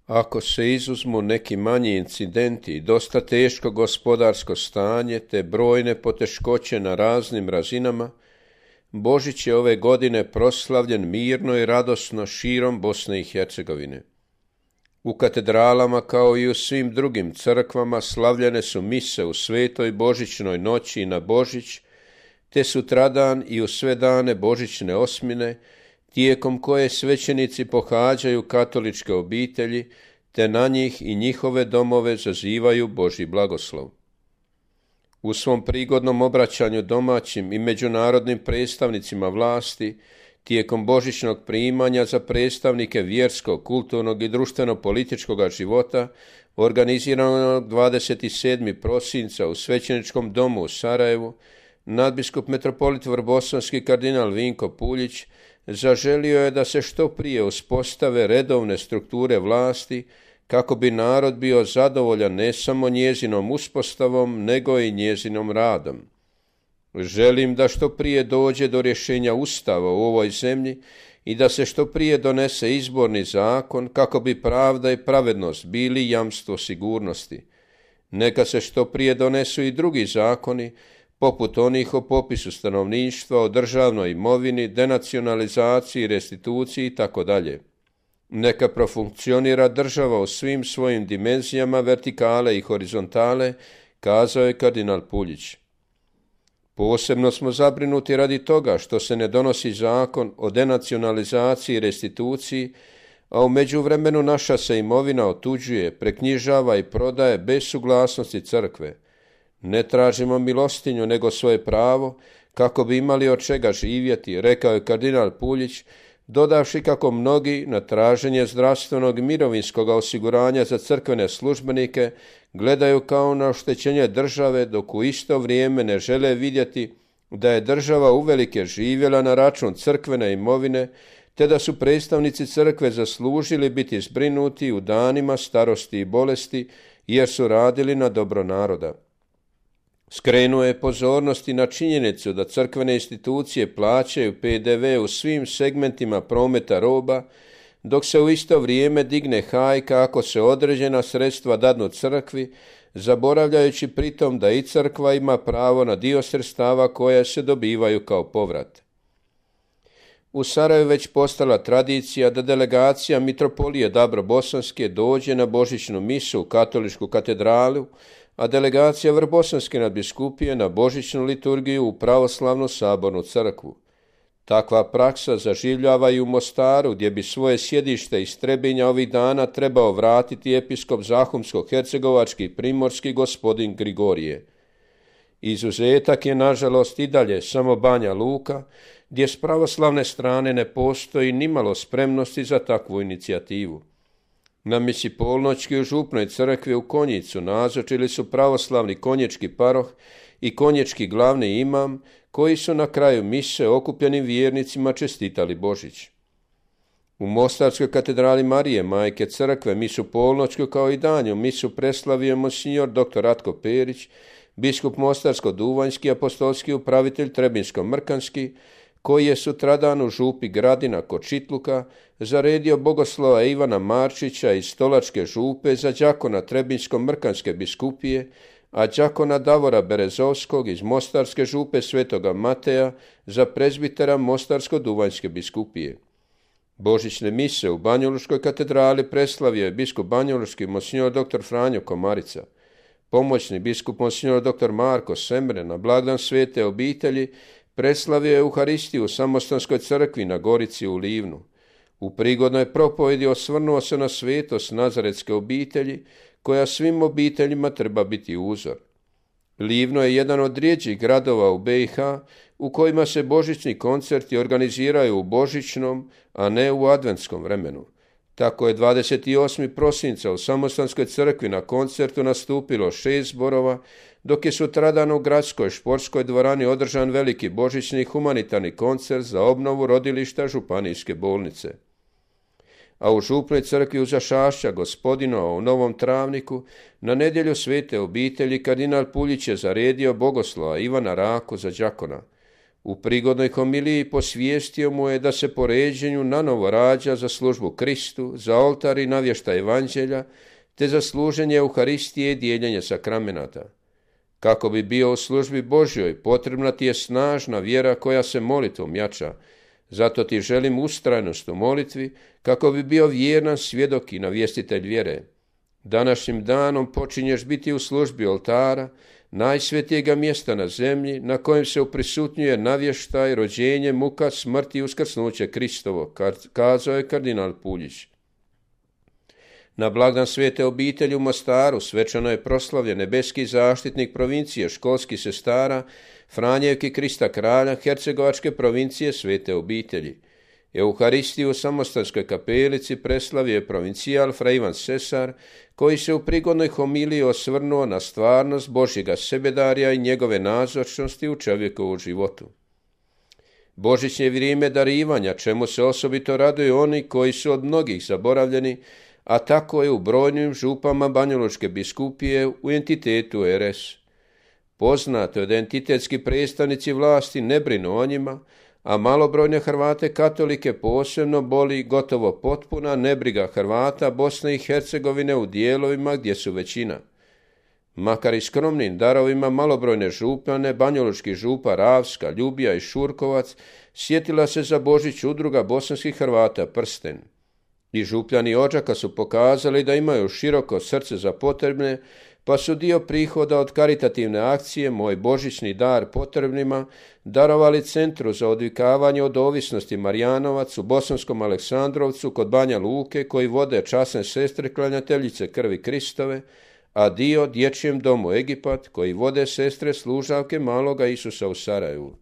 Ako se izuzmu neki manji incidenti i dosta teško gospodarsko stanje te brojne poteškoće na raznim razinama, Božić je ove godine proslavljen mirno i radosno širom Bosne i Hercegovine. U katedralama kao i u svim drugim crkvama slavljene su mise u svetoj božićnoj noći i na Božić, te sutradan i u sve dane božićne osmine, tijekom koje svećenici pohađaju katoličke obitelji, te na njih i njihove domove zazivaju Božji blagoslov. U svom prigodnom obraćanju domaćim i međunarodnim predstavnicima vlasti, tijekom božićnog primanja za predstavnike vjerskog, kulturnog i društveno-političkog života, organiziranog 27. prosinca u Svećeničkom domu u Sarajevu, nadbiskup metropolit vrbosanski kardinal Vinko Puljić zaželio je da se što prije uspostave redovne strukture vlasti kako bi narod bio zadovoljan ne samo njezinom uspostavom, nego i njezinom radom. Želim da što prije dođe do rješenja Ustava u ovoj zemlji i da se što prije donese izborni zakon kako bi pravda i pravednost bili jamstvo sigurnosti. Neka se što prije donesu i drugi zakoni, poput onih o popisu stanovništva, o državnoj imovini, denacionalizaciji, restituciji itd. Neka profunkcionira država u svim svojim dimenzijama vertikale i horizontale, kazao je kardinal Puljić. Posebno smo zabrinuti radi toga što se ne donosi zakon o denacionalizaciji i restituciji, a u međuvremenu naša se imovina otuđuje, preknjižava i prodaje bez suglasnosti crkve. Ne tražimo milostinju, nego svoje pravo, kako bi imali od čega živjeti, rekao je kardinal Puljić, dodavši kako mnogi na traženje zdravstvenog i mirovinskog osiguranja za crkvene službenike gledaju kao na oštećenje države, dok u isto vrijeme ne žele vidjeti da je država uvelike živjela na račun crkvene imovine, te da su predstavnici crkve zaslužili biti zbrinuti u danima starosti i bolesti, jer su radili na dobro naroda. Skrenuo je pozornost i na činjenicu da crkvene institucije plaćaju PDV u svim segmentima prometa roba, dok se u isto vrijeme digne hajka ako se određena sredstva dadnu crkvi, zaboravljajući pritom da i crkva ima pravo na dio sredstava koja se dobivaju kao povrat. U Sarajevu već postala tradicija da delegacija mitropolije Dabro-Bosanske dođe na božićnu misu u katoličku katedralu, a delegacija Vrbosanske nadbiskupije na božićnu liturgiju u pravoslavnu sabornu crkvu. Takva praksa zaživljava i u Mostaru, gdje bi svoje sjedište iz Trebinja ovih dana trebao vratiti episkop Zahumsko-hercegovački i primorski gospodin Grigorije. Izuzetak je nažalost i dalje samo Banja Luka, gdje s pravoslavne strane ne postoji nimalo spremnosti za takvu inicijativu. Na misi polnoćki u župnoj crkvi u Konjicu nazočili su pravoslavni konjički paroh i konjički glavni imam, koji su na kraju mise okupljenim vjernicima čestitali Božić. U Mostarskoj katedrali Marije Majke crkve misu polnoćku kao i danju misu preslavio monsignor dr. Ratko Perić, biskup Mostarsko-Duvanjski, apostolski upravitelj Trebinsko-Mrkanski, koji je sutradan u župi Gradina kod Čitluka zaredio bogoslova Ivana Marčića iz Stolačke župe za đakona Trebinsko-Mrkanske biskupije, a đakona Davora Berezovskog iz Mostarske župe Svetoga Mateja za prezbitera Mostarsko-Duvanjske biskupije. Božićne mise u Banjalučkoj katedrali preslavio je biskup banjalučki monsignor dr. Franjo Komarica. Pomoćni biskup monsignor dr. Marko Semre na blagdan Svete obitelji preslavio je Euharistiju u Samostanskoj crkvi na Gorici u Livnu. U prigodnoj propovjedi osvrnuo se na svetost Nazaretske obitelji, koja svim obiteljima treba biti uzor. Livno je jedan od rjeđih gradova u BiH u kojima se božićni koncerti organiziraju u božićnom, a ne u adventskom vremenu. Tako je 28. prosinca u Samostanskoj crkvi na koncertu nastupilo 6 zborova, dok je sutradan u gradskoj športskoj dvorani održan veliki božićni humanitarni koncert za obnovu rodilišta županijske bolnice. A u župnoj crkvi u Zašašća Gospodinova u Novom Travniku na nedjelju Svete obitelji kardinal Puljić je zaredio bogoslova Ivana Raku za đakona. U prigodnoj homiliji posvijestio mu je da se po ređenju nanovo rađa za službu Kristu, za oltar i navještaj evanđelja, te za služenje Euharistije i dijeljenje sakramenata. Kako bi bio u službi Božjoj, potrebna ti je snažna vjera koja se molitvom jača. Zato ti želim ustrajnost u molitvi, kako bi bio vjeran svjedok i navjestitelj vjere. Današnjim danom počinješ biti u službi oltara, najsvetijega mjesta na zemlji, na kojem se uprisutnjuje navještaj, rođenje, muka, smrt i uskrsnuće Kristovo, kazao je kardinal Puljić. Na blagdan Svete obitelji u Mostaru svečano je proslavljen nebeski zaštitnik provincije školskih sestara Franjevki Krista Kralja Hercegovačke provincije Svete obitelji. Euharistiju u Samostanskoj kapelici preslavio je provincijal fra Ivan Sesar, koji se u prigodnoj homiliji osvrnuo na stvarnost Božjega sebedarja i njegove nazočnosti u čovjekovu životu. Božićnje vrijeme darivanja, čemu se osobito raduju oni koji su od mnogih zaboravljeni, a tako je u brojnim župama Banjalučke biskupije u entitetu RS. Poznato je da entitetski predstavnici vlasti ne brinu o njima, a malobrojne Hrvate katolike posebno boli gotovo potpuna nebriga Hrvata Bosne i Hercegovine u dijelovima gdje su većina. Makar i skromnim darovima malobrojne župane, banjalučki župa Ravska, Ljubija i Šurkovac, sjetila se za Božić udruga bosanskih Hrvata Prsten. I župljani Odžaka su pokazali da imaju široko srce za potrebne, pa su dio prihoda od karitativne akcije Moj božićni dar potrebnima darovali Centru za odvikavanje od ovisnosti Marijanovac u Bosanskom Aleksandrovcu kod Banja Luke, koji vode časne sestre klanjateljice krvi Kristove, a dio Dječjem domu Egipat, koji vode sestre služavke maloga Isusa u Sarajevu.